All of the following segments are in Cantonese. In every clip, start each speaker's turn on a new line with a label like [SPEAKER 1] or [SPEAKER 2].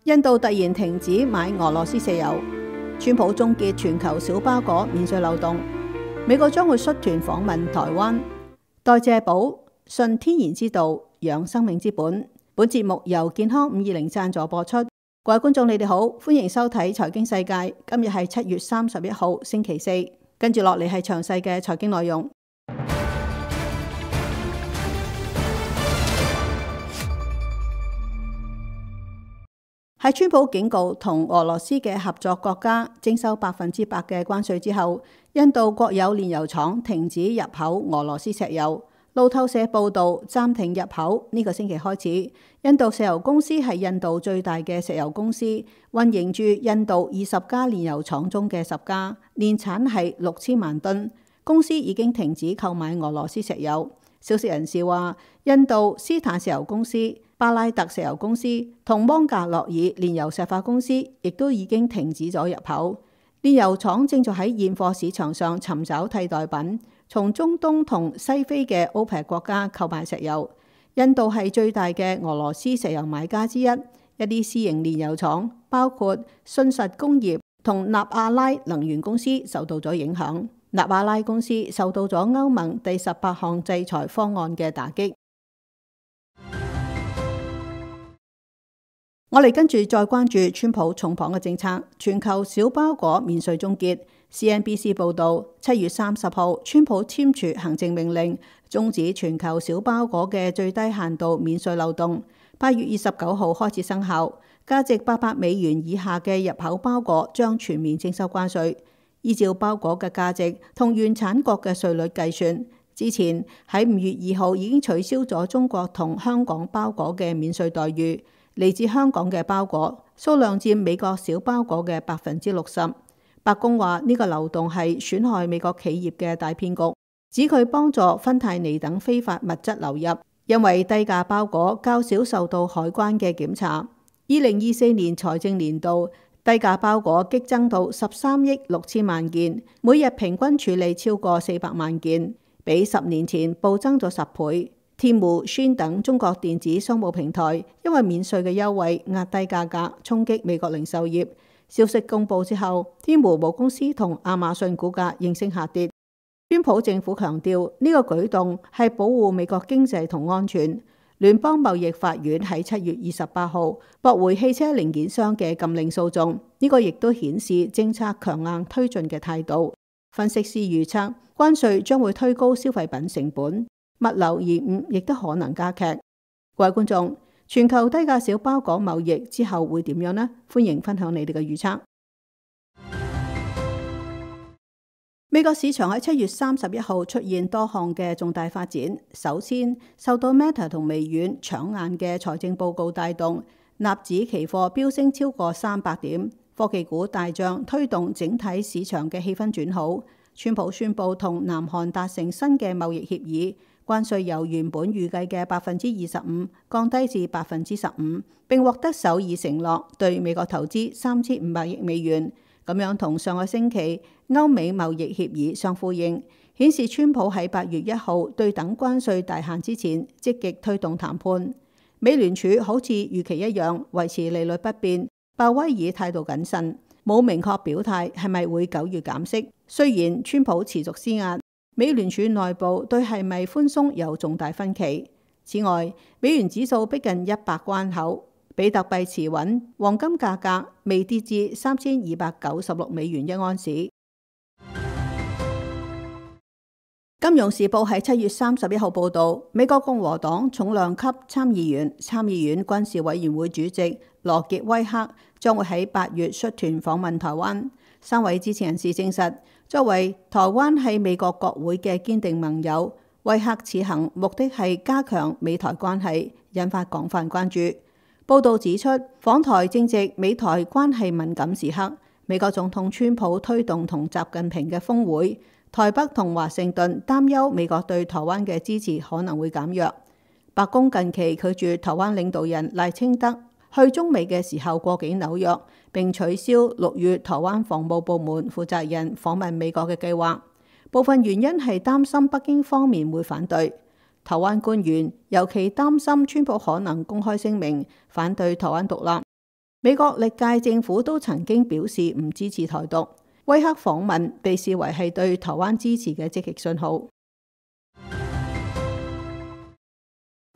[SPEAKER 1] 印度突然停止買俄羅斯石油，川普終結全球小包裹免稅漏洞，美國將會率團訪問台灣。代謝寶，信天然之道，養生命之本。本節目由健康520贊助播出。各位觀眾，你哋好，歡迎收睇財經世界。今日係7月31號，星期四。跟住落嚟係詳細嘅財經內容。喺川普警告同俄羅斯嘅合作國家徵收100%嘅關稅之後，印度國有煉油廠停止入口俄羅斯石油。路透社報導，暫停入口呢個星期開始。印度石油公司係印度最大嘅石油公司，運營住印度20家煉油廠中嘅10家，年產係6000萬噸。公司已經停止購買俄羅斯石油。消息人士話，印度斯坦石油公司、巴拉特石油公司同芒格諾爾煉油石化公司亦都已經停止咗入口。煉油廠正在喺現貨市場上尋找替代品，從中東同西非嘅 OPEC 國家購買石油。印度係最大嘅俄羅斯石油買家之一。一啲私營煉油廠，包括信實工業同納阿拉能源公司受到咗影響。納阿拉公司受到咗歐盟第18項制裁方案嘅打擊。我哋跟住再關注川普重磅嘅政策，全球小包裹免稅終結。CNBC 報導，7月30號，川普簽署行政命令，終止全球小包裹嘅最低限度免稅漏洞。8月29號開始生效，價值800美元以下嘅入口包裹將全面徵收關稅。依照包裹嘅價值同原產國嘅稅率計算，之前喺5月2號已經取消咗中國同香港包裹嘅免稅待遇。嚟自香港嘅包裹數量佔美國小包裹嘅60%。白宮話呢個漏洞係損害美國企業嘅大騙局，指佢幫助芬太尼等非法物質流入，因為低價包裹較少受到海關嘅檢查。2024年財政年度，低價包裹激增到13億6千萬件，每日平均處理超過400萬件，比10年前暴增咗10倍。天貓、Shein等中國電子商務平台因為免稅嘅優惠壓低價格，衝擊美國零售業。消息公佈之後，天貓母公司同亞馬遜股價應聲下跌。川普政府強調呢個舉動係保護美國經濟同安全。聯邦貿易法院喺7月28號駁回汽車零件商嘅禁令訴訟，呢個亦都顯示政策強硬推進嘅態度。分析師預測，關稅將會推高消費品成本，物流延誤亦都可能加劇。各位觀眾，全球低價小包裹貿易之後會點樣呢？歡迎分享你哋嘅預測。美國市場喺7月31號出現多項嘅重大發展。首先，受到 Meta 同微軟搶眼嘅財政報告帶動，納指期貨飆升超過300點，科技股大漲，推動整體市場嘅氣氛轉好。川普宣布同南韓達成新嘅貿易協議，關稅由原本預計嘅25%降低至15%，並獲得首爾承諾對美國投資3500億美元。咁樣同上個星期歐美貿易協議相呼應，顯示川普喺8月1號對等關稅大限之前積極推動談判。美聯儲好似預期一樣維持利率不變，鮑威爾態度謹慎，冇明確表態係咪會9月減息。雖然川普持續施壓，美聯儲內部對係咪寬鬆有重大分歧。此外，美元指數逼近100關口。比特幣持穩，黃金價格未跌至3296美元一盎司。金融時報喺7月31號報導，美國共和黨重量級參議員、參議院軍事委員會主席羅傑威克將會喺8月率團訪問台灣。3位知情人士證實，作為台灣係美國國會嘅堅定盟友，威克此行目的係加強美台關係，引發廣泛關注。報道指出，訪台正值美台關係敏感時刻，美國總統川普推動同習近平嘅峰會，台北同華盛頓擔憂美國對台灣嘅支持可能會減弱。白宮近期拒絕台灣領導人賴清德去中美嘅時候過境紐約，並取消6月台灣防務部門負責人訪問美國嘅計劃。部分原因係擔心北京方面會反對。台灣官員尤其擔心川普可能公開聲明反對台灣獨立。美國歷屆政府都曾經表示唔支持台獨，威克訪問被視為係對台灣支持嘅積極信號。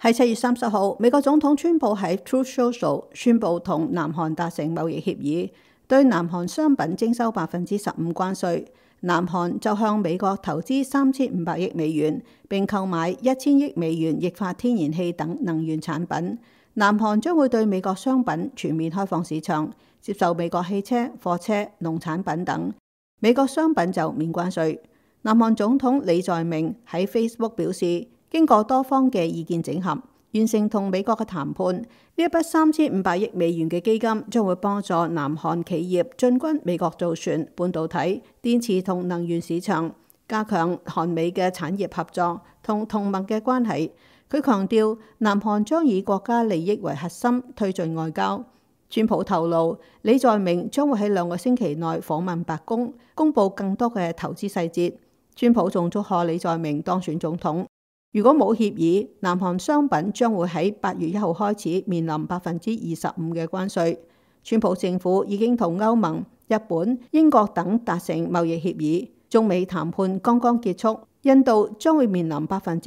[SPEAKER 1] 喺7月30號，美國總統川普喺 Truth Social 宣布同南韓達成貿易協議，對南韓商品徵收15%關稅。南韓就向美國投資3500億美元，並購買1000億美元液化天然氣等能源產品。南韓將會對美國商品全面開放市場，接受美國汽車、貨車、農產品等。美國商品就免關稅。南韓總統李在明喺 Facebook 表示，經過多方嘅意見整合，完成同美國嘅談判。呢一筆3500億美元嘅基金將會幫助南韓企業進軍美國造船、半導體、電池同能源市場，加強韓美嘅產業合作同同盟嘅關係。佢強調，南韓將以國家利益為核心推進外交。川普透露，李在明將會喺2個星期內訪問白宮，公佈更多嘅投資細節。川普仲祝賀李在明當選總統。如果冇協議，南韓商品將會喺8月1號開始面臨25%嘅關稅。川普政府已經同歐盟、日本、英國等達成貿易協議，中美談判剛剛結束。印度將會面臨25%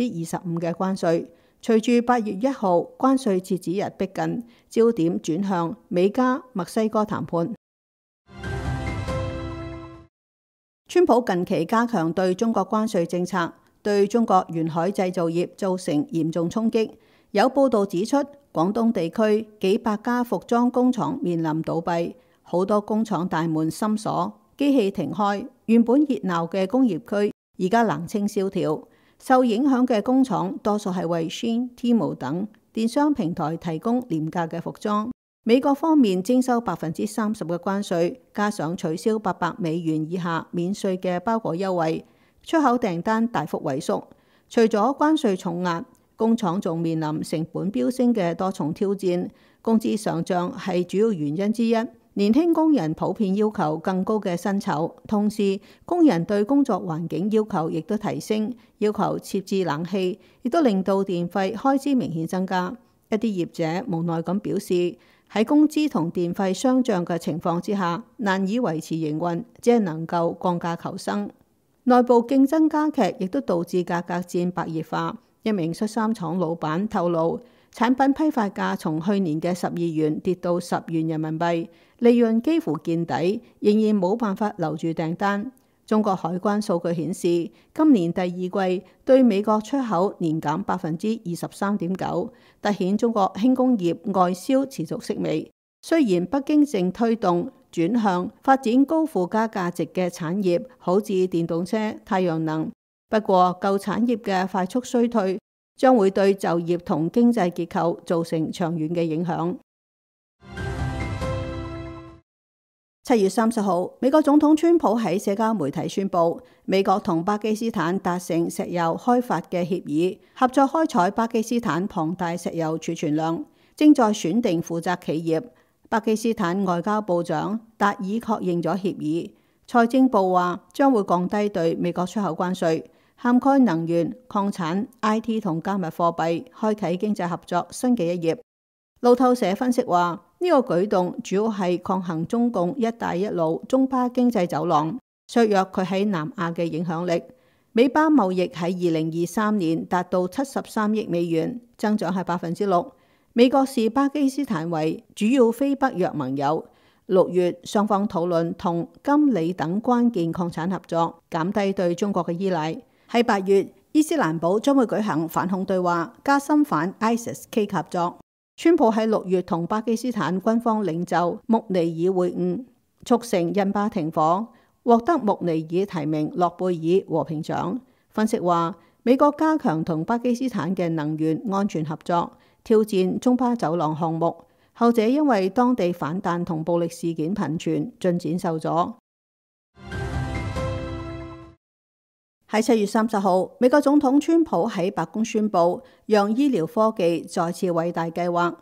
[SPEAKER 1] 嘅關稅。隨住8月1號關稅截止日逼近，焦點轉向美加、墨西哥談判。川普近期加強對中國關稅政策，對中國沿海製造業造成嚴重衝擊。有報道指出，廣東地區幾百家服裝工廠面臨倒閉，好多工廠大門深鎖，機器停開。原本熱鬧嘅工業區而家冷清蕭條。受影響嘅工廠多數係為 Shein、Temu 等電商平台提供廉價嘅服裝。美國方面徵收30%嘅關稅，加上取消800美元以下免稅嘅包裹優惠，出口訂單大幅萎縮。除咗關稅重壓，工廠仲面臨成本飆升嘅多重挑戰，工資上漲係主要原因之一。年輕工人普遍要求更高嘅薪酬，同時工人對工作環境要求亦都提升，要求設置冷氣，亦都令到電費開支明顯增加。一啲業者無奈咁表示，喺工資同電費雙漲嘅情況之下，難以維持營運，只係能夠降價求生。內部競爭加劇，亦都導致價格戰白熱化。一名恤衫廠老闆透露，產品批發價從去年嘅12元跌到10元人民幣，利潤幾乎見底，仍然冇辦法留住訂單。中國海關數據顯示，今年第2季對美國出口年減23.9%，凸顯中國輕工業外銷持續式微。雖然北京正推動轉向發展高附加價值嘅產業，好似電動車、太陽能，不過舊產業嘅快速衰退將會對就業同經濟結構造成長遠嘅影響。7月30號，美國總統川普喺社交媒體宣布，美國同巴基斯坦達成石油開發嘅協議，合作開採巴基斯坦龐大石油儲存量，正在選定負責企業。巴基斯坦外交部長達爾確認咗協議。財政部話將會降低對美國出口關稅，涵蓋能源、礦產、IT 同加密貨幣，開啟經濟合作新嘅一頁。路透社分析話，呢個舉動主要係抗衡中共一帶一路中巴經濟走廊，削弱佢喺南亞嘅影響力。美巴貿易喺2023年達到73億美元，增長係6%。美國視巴基斯坦為主要非北約盟友。6月雙方討論同金、鋰等關鍵礦產合作，減低對中國嘅依賴。喺8月，伊斯蘭堡將會舉行反恐對話，加深反 ISIS-K 合作。川普喺6月同巴基斯坦軍方領袖穆尼爾會晤，促成印巴停火，獲得穆尼爾提名諾貝爾和平獎。分析話，美國加強同巴基斯坦嘅能源安全合作，挑戰中巴走廊項目，後者因為當地反彈同暴力事件頻傳，進展受阻。喺7月30號，美國總統川普喺白宮宣布，讓醫療科技再次偉大計劃，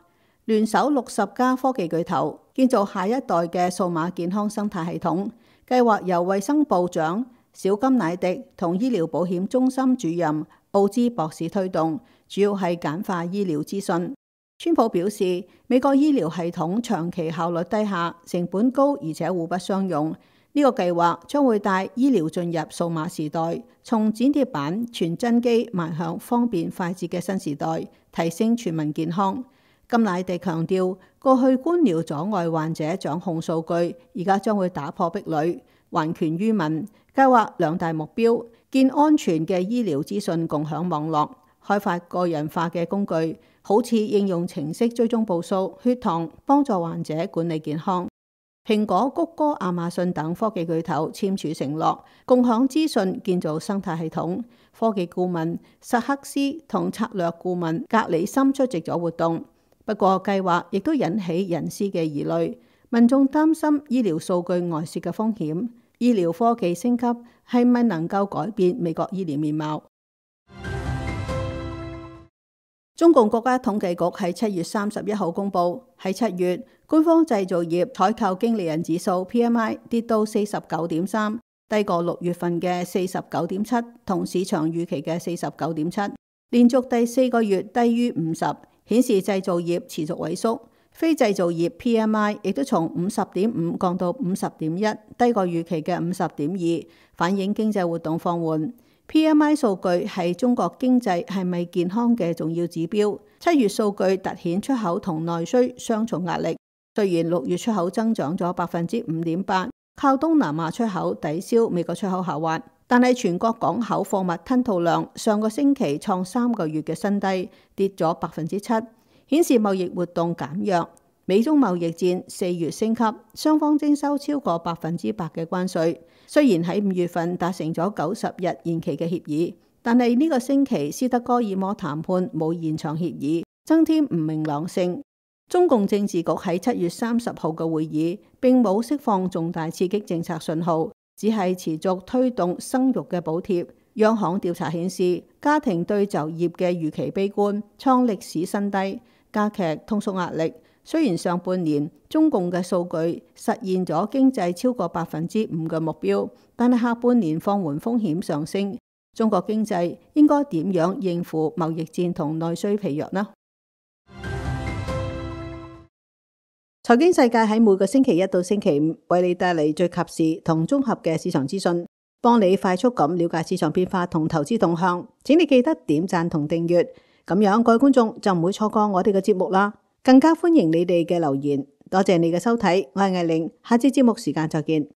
[SPEAKER 1] 聯手60家科技巨頭，建造下一代嘅數碼健康生態系統。計劃由衛生部長小金乃迪同醫療保險中心主任奧茲博士推動，主要係簡化醫療資訊。川普表示，美國醫療系統長期效率低下，成本高，而且互不相容。呢個計劃將會帶醫療進入數碼時代，從剪貼板傳真機邁向方便快捷嘅新時代，提升全民健康。甘迺迪強調，過去官僚阻礙患者掌控數據，而家將會打破壁壘，還權於民。計劃兩大目標：建安全嘅醫療資訊共享網絡，開發個人化嘅工具，好似應用程式追蹤步數、血糖，幫助患者管理健康。蘋果、谷歌、亞馬遜等科技巨頭簽署承諾，共享資訊，建造生態系統。科技顧問薩克斯同策略顧問格里森出席咗活動。不過計劃亦都引起隱私嘅疑慮，民眾擔心醫療數據外泄嘅風險。醫療科技升級係咪能夠改變美國醫療面貌？中共國家統計局喺7月31號公佈，喺7月官方製造業採購經理人指數 PMI 跌到49.3，低過6月份嘅49.7，同市場預期嘅49.7，連續第4個月低於50，顯示製造業持續萎縮。非製造業 PMI 亦都從50.5降到50.1，低過預期嘅50.2，反映經濟活動放緩。PMI 數據係中國經濟係咪健康嘅重要指標。7月數據凸顯出口同內需雙重壓力。雖然6月出口增長咗5.8%，靠東南亞出口抵消美國出口下滑，但係全國港口貨物吞吐量上個星期創3個月嘅新低，跌咗7%，顯示貿易活動減弱。美中貿易戰4月升級，雙方徵收超過100%嘅關稅。雖然喺5月份達成咗90日延期嘅協議，但係呢個星期斯德哥爾摩談判冇延長協議，增添唔明朗性。中共政治局喺7月30號嘅會議並冇釋放重大刺激政策信號，只係持續推動生育嘅補貼。央行調查顯示，家庭對就業嘅預期悲觀，創歷史新低，加劇通縮壓力。雖然上半年中共嘅數據實現咗經濟超過5%嘅目標，但係下半年放緩風險上升。中國經濟應該點樣應付貿易戰同內需疲弱呢？財經世界喺每個星期一到星期五為你帶嚟最及時同綜合嘅市場資訊，幫你快速咁了解市場變化同投資動向。請你記得點讚同訂閱，咁樣各位觀眾就唔會錯過我哋嘅節目啦。更加歡迎你哋嘅留言，多謝你嘅收睇，我係艾玲，下次節目時間再見。